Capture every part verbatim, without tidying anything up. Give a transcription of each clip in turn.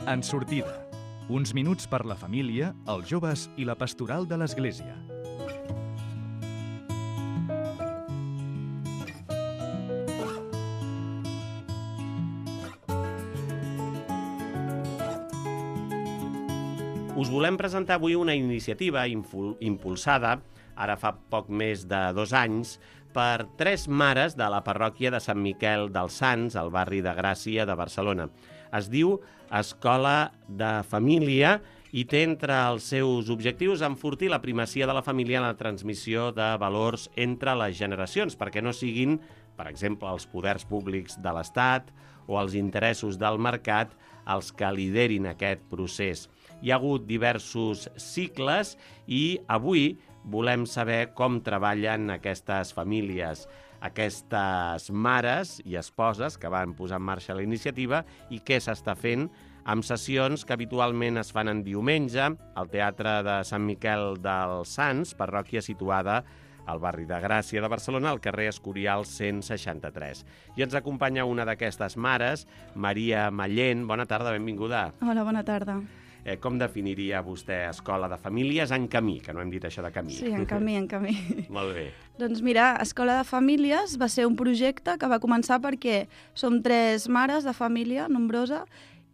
En sortida. Uns minuts per la família, els joves i la pastoral de l'Església. Us volem presentar avui una iniciativa impulsada, ara fa poc més de dos anys, per tres mares de la parròquia de Sant Miquel dels Sants, al barri de Gràcia de Barcelona. Es diu Escola de Família i té entre els seus objectius enfortir la primacia de la família en la transmissió de valors entre les generacions, perquè no siguin, per exemple, els poders públics de l'Estat o els interessos del mercat els que liderin aquest procés. Hi ha hagut diversos cicles i avui volem saber com treballen aquestes famílies, aquestes mares i esposes que van posar en marxa la iniciativa i què s'està fent amb sessions que habitualment es fan en diumenge al Teatre de Sant Miquel dels Sants, parròquia situada al barri de Gràcia de Barcelona, al carrer Escorial cent seixanta-tres. I ens acompanya una d'aquestes mares, Maria Mallén. Bona tarda, benvinguda. Hola, bona tarda. Eh, com definiria vostè Escola de Famílies en camí? Que no hem dit això de camí. Sí, en camí, en camí. Molt bé. Doncs mira, Escola de Famílies va ser un projecte que va començar perquè som tres mares de família nombrosa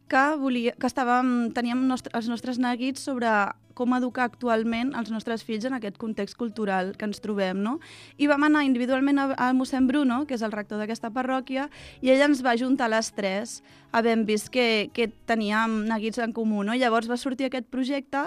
que, volia, que estàvem, teníem nostre, els nostres neguits sobre com educar actualment els nostres fills en aquest context cultural que ens trobem, no? I vam anar individualment a, a mossèn Bruno, que és el rector d'aquesta parròquia, i ell ens va ajuntar les tres, havent vist que, que teníem neguits en comú, no? I llavors va sortir aquest projecte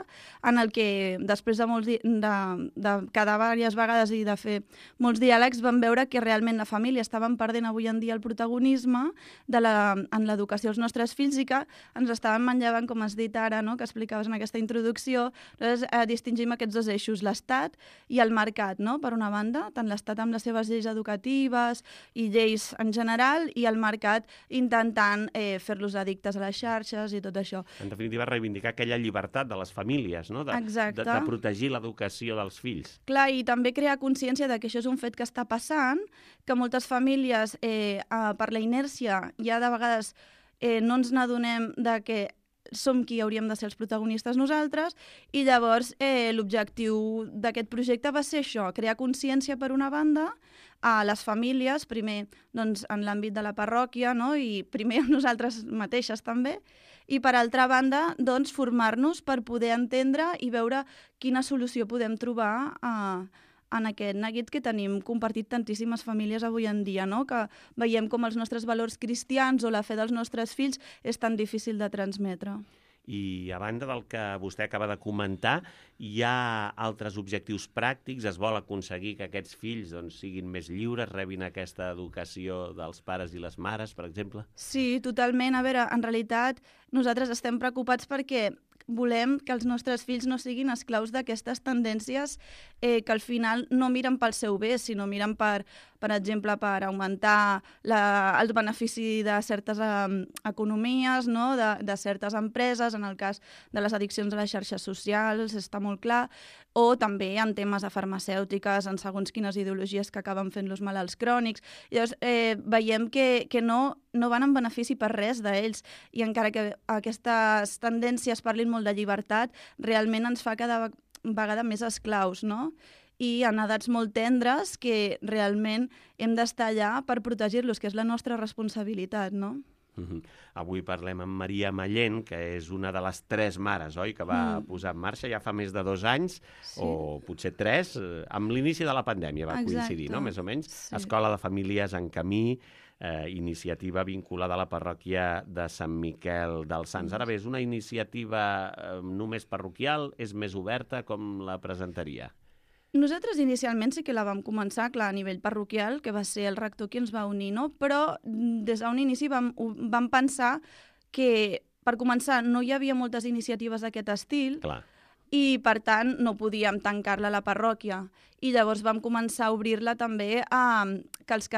en el que, després de, molts di de, de quedar diverses vegades i de fer molts diàlegs, vam veure que realment la família estaven perdent avui en dia el protagonisme de la, en l'educació dels nostres fills i que ens estaven manllevant, com has dit ara, no? Que explicaves en aquesta introducció. Nosaltres eh, distingim aquests dos eixos, l'Estat i el mercat, no? Per una banda, tant l'Estat amb les seves lleis educatives i lleis en general, i el mercat intentant eh, fer-los addictes a les xarxes i tot això. En definitiva, reivindicar aquella llibertat de les famílies, no? De, Exacte. De, de protegir l'educació dels fills. Clar, i també crear consciència de que això és un fet que està passant, que moltes famílies, eh, eh, per la inèrcia, ja de vegades eh, no ens n'adonem de que som qui hauríem de ser els protagonistes nosaltres, i llavors eh, l'objectiu d'aquest projecte va ser això, crear consciència per una banda a les famílies, primer doncs, en l'àmbit de la parròquia, no? I primer a nosaltres mateixes també, i per altra banda doncs, formar-nos per poder entendre i veure quina solució podem trobar a en aquest neguit que tenim compartit tantíssimes famílies avui en dia, no? Que veiem com els nostres valors cristians o la fe dels nostres fills és tan difícil de transmetre. I a banda del que vostè acaba de comentar, hi ha altres objectius pràctics? Es vol aconseguir que aquests fills doncs, siguin més lliures, rebin aquesta educació dels pares i les mares, per exemple? Sí, totalment. A veure, en realitat nosaltres estem preocupats perquè volem que els nostres fills no siguin esclaus d'aquestes tendències eh, que al final no miren pel seu bé, sinó miren per, per exemple, per augmentar la, el benefici de certes eh, economies, no? de, de certes empreses, en el cas de les addiccions a les xarxes socials, està molt clar, o també en temes de farmacèutiques, en segons quines ideologies que acaben fent-los malalts crònics. Llavors, eh, veiem que, que no, no van en benefici per res d'ells, i encara que aquestes tendències parlin molt de llibertat, realment ens fa cada vegada més esclaus, no? I en edats molt tendres que realment hem d'estar allà per protegir-los, que és la nostra responsabilitat, no? Uh-huh. Avui parlem amb Maria Mallén, que és una de les tres mares, oi?, que va mm. posar en marxa ja fa més de dos anys, sí. o potser tres, amb l'inici de la pandèmia va Exacte. Coincidir, no?, més o menys. Sí. Escola de Famílies en Camí, eh, iniciativa vinculada a la parròquia de Sant Miquel dels Sants. Ara bé, és una iniciativa eh, només parroquial, és més oberta, com la presentaria? Nosaltres inicialment sí que la vam començar, clar, a nivell parroquial, que va ser el rector qui ens va unir, no? Però des d'un inici vam, vam pensar que, per començar, no hi havia moltes iniciatives d'aquest estil, clar. I, per tant, no podíem tancar-la a la parròquia. I llavors vam començar a obrir-la també a que els,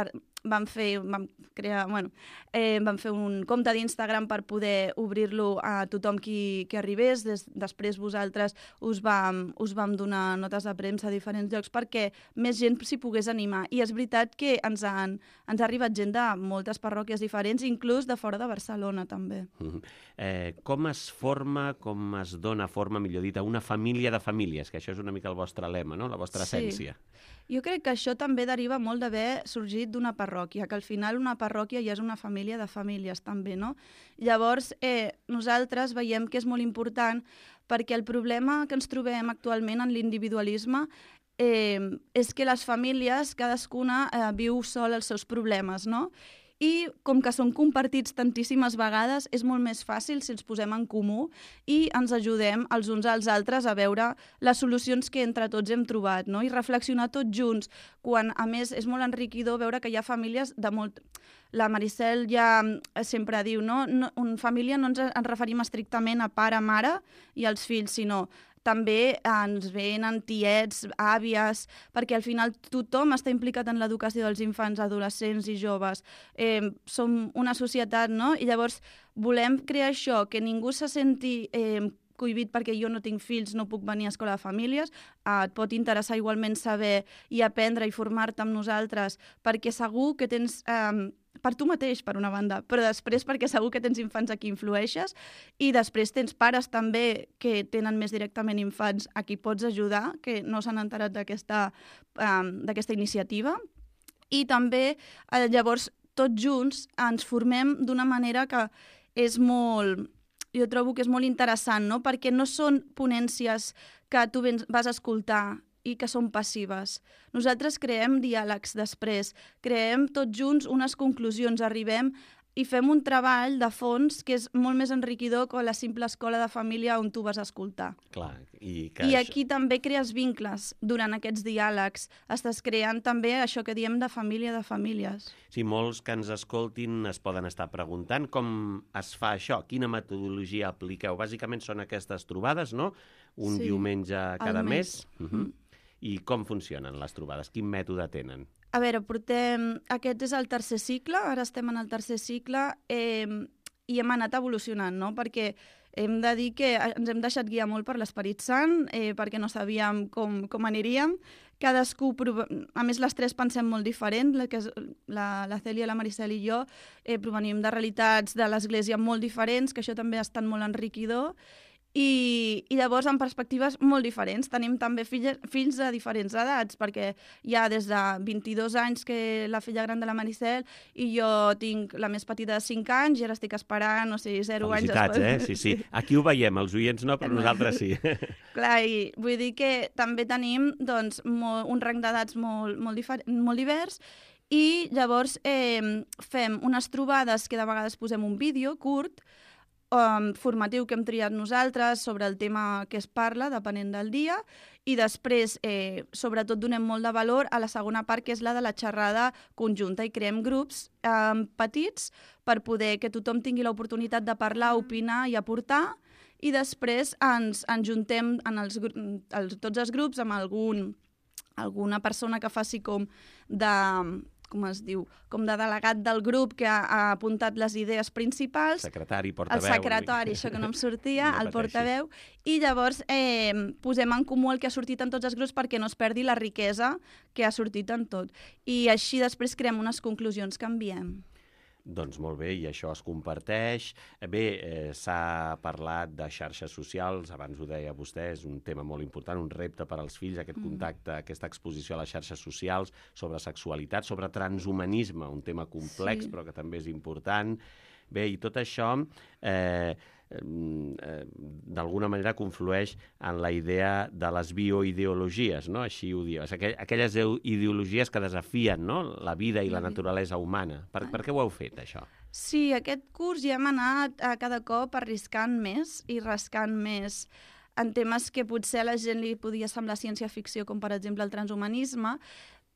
vam fer, vam crear, bueno, eh, vam fer un compte d'Instagram per poder obrir-lo a tothom qui, qui arribés. Des, després vosaltres us vam, us vam donar notes de premsa a diferents llocs perquè més gent s'hi pogués animar. I és veritat que ens, han, ens ha arribat gent de moltes parròquies diferents, inclús de fora de Barcelona també. Mm-hmm. eh, com es forma, com es dona forma, millor dit, a una família de famílies, que això és una mica el vostre lema, no? La vostra essència. Sí. Jo crec que això també deriva molt d'haver sorgit d'una parròquia, que al final una parròquia ja és una família de famílies també, no? Llavors, eh, nosaltres veiem que és molt important perquè el problema que ens trobem actualment en l'individualisme eh, és que les famílies, cadascuna eh, viu sol els seus problemes, no? I com que són compartits tantíssimes vegades, és molt més fàcil si els posem en comú i ens ajudem els uns als altres a veure les solucions que entre tots hem trobat, no? I reflexionar tots junts, quan a més és molt enriquidor veure que hi ha famílies de molt... La Maricel ja sempre diu, no? no en família no ens, ens referim estrictament a pare, mare i els fills, sinó també ens venen tiets, àvies, perquè al final tothom està implicat en l'educació dels infants, adolescents i joves. Eh, som una societat, no? I llavors volem crear això, que ningú se senti eh, cohibit perquè jo no tinc fills, no puc venir a escola de famílies. Eh, et pot interessar igualment saber i aprendre i formar-te amb nosaltres, perquè segur que tens... Eh, per tu mateix, per una banda, però després perquè segur que tens infants a qui influeixes i després tens pares també que tenen més directament infants a qui pots ajudar, que no s'han enterat d'aquesta um, d'aquesta iniciativa. I també, eh, llavors, tots junts ens formem d'una manera que és molt... Jo trobo que és molt interessant, no? Perquè no són ponències que tu vas a escoltar i que són passives. Nosaltres creem diàlegs després, creem tots junts unes conclusions, arribem i fem un treball de fons que és molt més enriquidor que la simple escola de família on tu vas a escoltar. Clar, i que I això... aquí també crees vincles durant aquests diàlegs. Estàs creant també això que diem de família de famílies. Sí, molts que ens escoltin es poden estar preguntant com es fa això, quina metodologia apliqueu. Bàsicament són aquestes trobades, no? Un Sí, diumenge cada al mes. mes. Uh -huh. I com funcionen les trobades? Quin mètode tenen? A veure, portem... Aquest és el tercer cicle, ara estem en el tercer cicle eh, i hem anat evolucionant, no? Perquè hem de dir que ens hem deixat guiar molt per l'Esperit Sant, eh, perquè no sabíem com, com aniríem. Cadascú, a més les tres pensem molt diferent, la, que és, la, la Cèlia, la Maricel i jo, eh, provenim de realitats de l'Església molt diferents, que això també ha estat molt enriquidor. I, i llavors amb perspectives molt diferents. Tenim també filles, fills de diferents edats, perquè hi ha des de vint-i-dos anys que la filla gran de la Maricel i jo tinc la més petita de cinc anys i ara estic esperant, o sigui, zero anys. Felicitats, eh? Sí, sí. Aquí ho veiem, els oients no, però nosaltres sí. Clar, i vull dir que també tenim doncs, molt, un rang d'edats molt, molt, difer- molt divers i llavors eh, fem unes trobades que de vegades posem un vídeo curt Um, formatiu que hem triat nosaltres sobre el tema que es parla, depenent del dia, i després, eh, sobretot, donem molt de valor a la segona part, que és la de la xerrada conjunta, i creem grups eh, petits per poder que tothom tingui l'oportunitat de parlar, opinar i aportar, i després ens, ens juntem en els, els, tots els grups amb algun, alguna persona que faci com de... com es diu, com de delegat del grup que ha, ha apuntat les idees principals. Secretari, portaveu. El secretari, això que no em sortia, no el portaveu. I llavors eh, posem en comú el que ha sortit en tots els grups perquè no es perdi la riquesa que ha sortit en tot. I així després creem unes conclusions que enviem. Doncs molt bé, i això es comparteix. Bé, eh, s'ha parlat de xarxes socials, abans ho deia vostè, és un tema molt important, un repte per als fills, aquest contacte, mm. aquesta exposició a les xarxes socials, sobre sexualitat, sobre transhumanisme, un tema complex, sí. però que també és important. Bé, i tot això... Eh, d'alguna manera conflueix en la idea de les bioideologies, no? Així ho dius. Aquelles ideologies que desafien, no? La vida i la naturalesa humana. Per, per què ho heu fet, això? Sí, aquest curs ja hem anat a cada cop arriscant més i rascant més en temes que potser a la gent li podia semblar ciència-ficció, com per exemple el transhumanisme,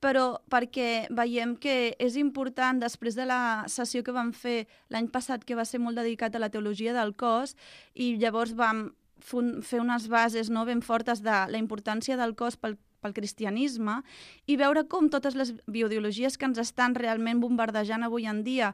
però perquè veiem que és important, després de la sessió que vam fer l'any passat, que va ser molt dedicat a la teologia del cos, i llavors vam fer unes bases no, ben fortes de la importància del cos pel, pel cristianisme i veure com totes les bioideologies que ens estan realment bombardejant avui en dia,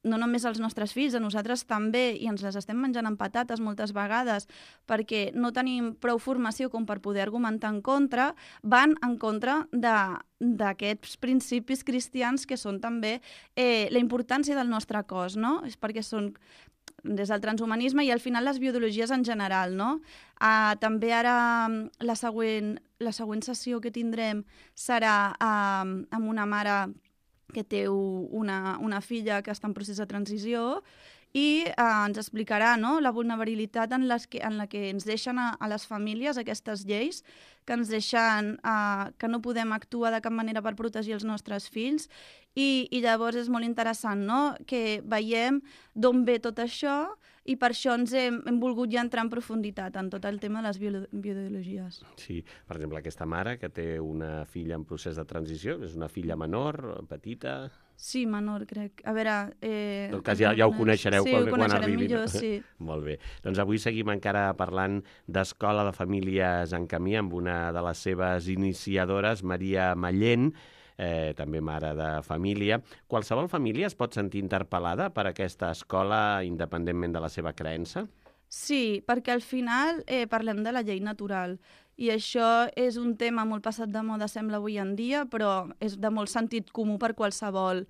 no només als nostres fills, a nosaltres també, i ens les estem menjant amb patates moltes vegades perquè no tenim prou formació com per poder argumentar en contra, van en contra d'aquests principis cristians que són també eh, la importància del nostre cos, no? És perquè són des del transhumanisme i al final les bioideologies en general, no? Uh, també ara la següent, la següent sessió que tindrem serà uh, amb una mare que té una, una filla que està en procés de transició i eh, ens explicarà, no?, la vulnerabilitat en, les que, en la que ens deixen a, a les famílies aquestes lleis, que ens deixen eh, que no podem actuar de cap manera per protegir els nostres fills i, i llavors és molt interessant, no?, que veiem d'on ve tot això i per això ens hem, hem volgut ja entrar en profunditat en tot el tema de les bio, bioideologies. Sí, per exemple, aquesta mare que té una filla en procés de transició, és una filla menor, petita... Sí, menor, crec. A veure... Eh, en tot cas, ja, ja ho coneixereu sí, quan, ho quan arribi. Millor, sí. Molt bé. Doncs avui seguim encara parlant d'Escola de Famílies en Camí amb una de les seves iniciadores, Maria Mallén, eh, també mare de família. Qualsevol família es pot sentir interpel·lada per aquesta escola independentment de la seva creença? Sí, perquè al final eh, parlem de la llei natural i això és un tema molt passat de moda, sembla, avui en dia, però és de molt sentit comú per qualsevol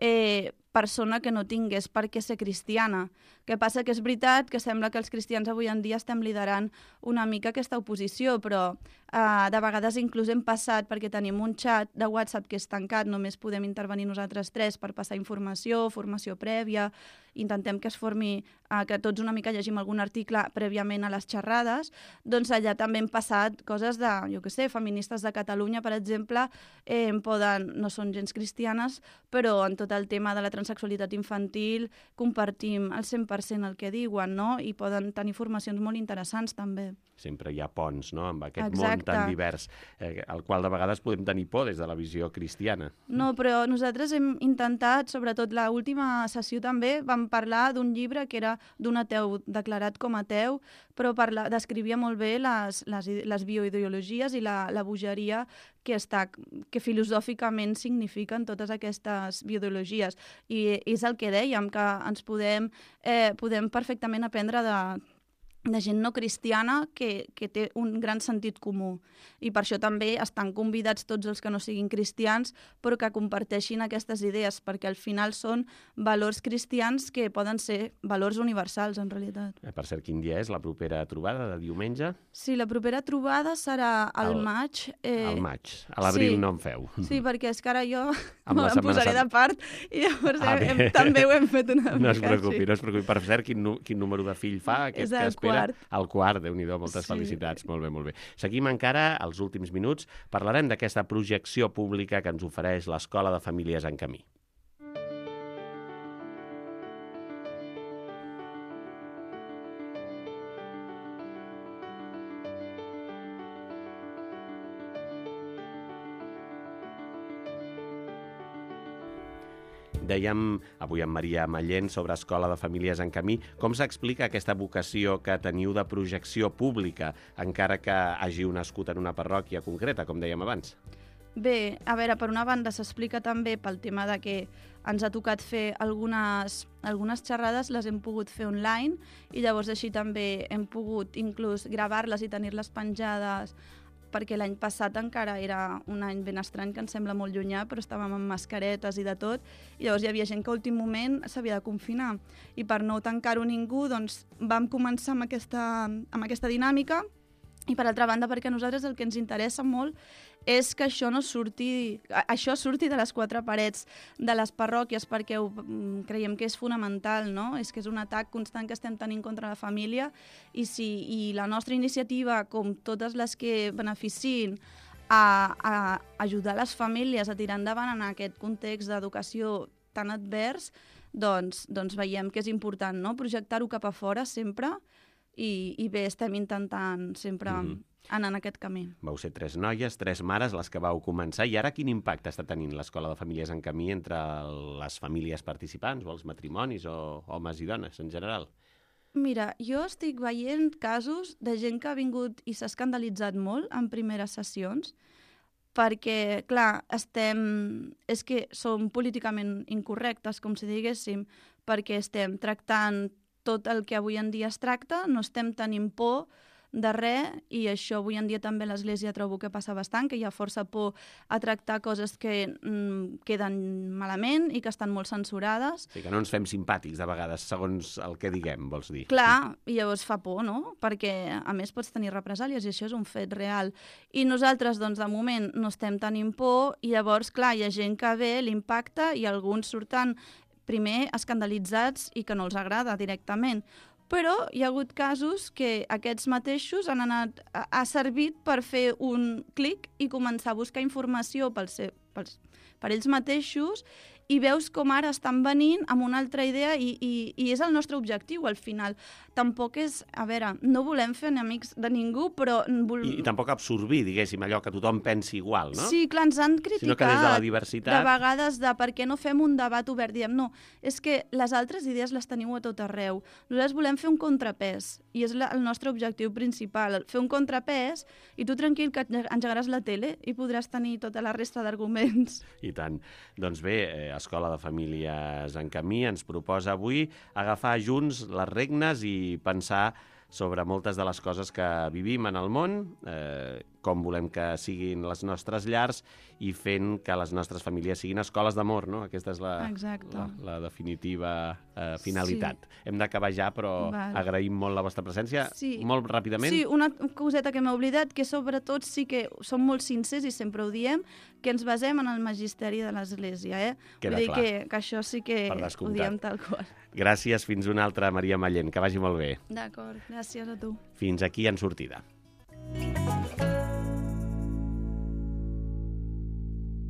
eh, persona que no tingués per què ser cristiana. Que passa que és veritat que sembla que els cristians avui en dia estem liderant una mica aquesta oposició, però eh, de vegades inclús hem passat, perquè tenim un xat de WhatsApp que és tancat, només podem intervenir nosaltres tres per passar informació, formació prèvia, intentem que es formi, eh, que tots una mica llegim algun article prèviament a les xerrades, doncs allà també hem passat coses de, jo què sé, feministes de Catalunya, per exemple, eh, poden, no són gens cristianes, però en tot el tema de la transsexualitat infantil compartim el cent per cent el que diuen, no? I poden tenir formacions molt interessants també. Sempre hi ha ponts, no?, amb aquest Exacte. món tan divers, eh, al qual de vegades podem tenir por des de la visió cristiana. No, però nosaltres hem intentat, sobretot l'última sessió també, vam parlar d'un llibre que era d'un ateu declarat com a ateu, però parla, descrivia molt bé les, les, les bioideologies i la, la bogeria que, està, que filosòficament signifiquen totes aquestes bioideologies. I és el que dèiem, que ens podem, eh, podem perfectament aprendre de, de gent no cristiana que, que té un gran sentit comú. I per això també estan convidats tots els que no siguin cristians, però que comparteixin aquestes idees, perquè al final són valors cristians que poden ser valors universals, en realitat. Eh, per cert, quin dia és la propera trobada, de diumenge? Sí, la propera trobada serà al El- maig. Eh, Al maig. A l'abril sí. no en feu. Sí, perquè és que ara jo Amb la em Setmana posaré Santa. de part i llavors Ah, hem, bé. hem, també ho hem fet una No es mica preocupi, així. no es preocupi. Per cert, quin, nu- quin número de fill fa aquest És que el espera? quart. El quart, Déu-n'hi-do, moltes Sí. felicitats. Molt bé, molt bé. Seguim encara als últims minuts. Parlarem d'aquesta projecció pública que ens ofereix l'Escola de Famílies en Camí. Dèiem avui amb Maria Mallén sobre Escola de Famílies en Camí. Com s'explica aquesta vocació que teniu de projecció pública, encara que hagi nascut en una parròquia concreta, com dèiem abans? Bé, a veure, per una banda s'explica també pel tema de que ens ha tocat fer algunes, algunes xerrades, les hem pogut fer online i llavors així també hem pogut inclús gravar-les i tenir-les penjades, perquè l'any passat encara era un any ben estrany, que ens sembla molt llunyà, però estàvem amb mascaretes i de tot, i llavors hi havia gent que a últim moment s'havia de confinar. I per no tancar-ho ningú, doncs vam començar amb aquesta, amb aquesta dinàmica, i per altra banda perquè a nosaltres el que ens interessa molt és que això no surti, això surti de les quatre parets de les parròquies, perquè ho, creiem que és fonamental, no? És que és un atac constant que estem tenint contra la família i, si, i la nostra iniciativa, com totes les que beneficien a, a ajudar les famílies a tirar endavant en aquest context d'educació tan advers, doncs, doncs veiem que és important, no? Projectar-ho cap a fora sempre i, i bé, estem intentant sempre Mhm. anar en aquest camí. Vau ser tres noies, tres mares, les que vau començar, i ara quin impacte està tenint l'Escola de Famílies en Camí entre les famílies participants o els matrimonis o homes i dones en general? Mira, jo estic veient casos de gent que ha vingut i s'ha escandalitzat molt en primeres sessions, perquè, clar, estem... és que som políticament incorrectes, com si diguéssim, perquè estem tractant tot el que avui en dia es tracta, no estem tenint por de res, i això avui en dia també a l'Església trobo que passa bastant, que hi ha força por a tractar coses que mm, queden malament i que estan molt censurades. Sí, que no ens fem simpàtics de vegades, segons el que diguem, vols dir. Clar, i llavors fa por, no? Perquè a més pots tenir represàlies i això és un fet real. I nosaltres, doncs, de moment no estem tenint por, i llavors, clar, hi ha gent que ve, l'impacta, i alguns surten primer escandalitzats i que no els agrada directament. Però hi ha hagut casos que aquests mateixos han anat, ha servit per fer un clic i començar a buscar informació pels, pels, per ells mateixos, i veus com ara estan venint amb una altra idea i, i, i és el nostre objectiu al final. Tampoc és, a veure, no volem fer enemics de ningú, però... Vol... I, I tampoc absorbir, diguéssim, allò que tothom pensi igual, no? Sí, clar, ens han criticat sinó que des de la diversitat... de vegades de per què no fem un debat obert. Diem, no, és que les altres idees les teniu a tot arreu. Nosaltres volem fer un contrapès, i és la, el nostre objectiu principal, fer un contrapès, i tu tranquil que engegaràs la tele i podràs tenir tota la resta d'arguments. I tant. Doncs bé, eh, Escola de Famílies en Camí ens proposa avui agafar junts les regnes i pensar sobre moltes de les coses que vivim en el món, eh, com volem que siguin les nostres llars i fent que les nostres famílies siguin escoles d'amor, no? Aquesta és la, la, la definitiva eh, finalitat. Sí. Hem d'acabar ja, però Val. agraïm molt la vostra presència. Sí. Molt ràpidament. Sí, una coseta que m'he oblidat, que sobretot sí que som molt sincers i sempre ho diem, que ens basem en el magisteri de l'Església. Eh? Queda Vull dir clar. que, que això sí que ho diem tal qual. Gràcies, fins una altra, Maria Mallent. Que vagi molt bé. D'acord, gràcies a tu. Fins aquí en sortida.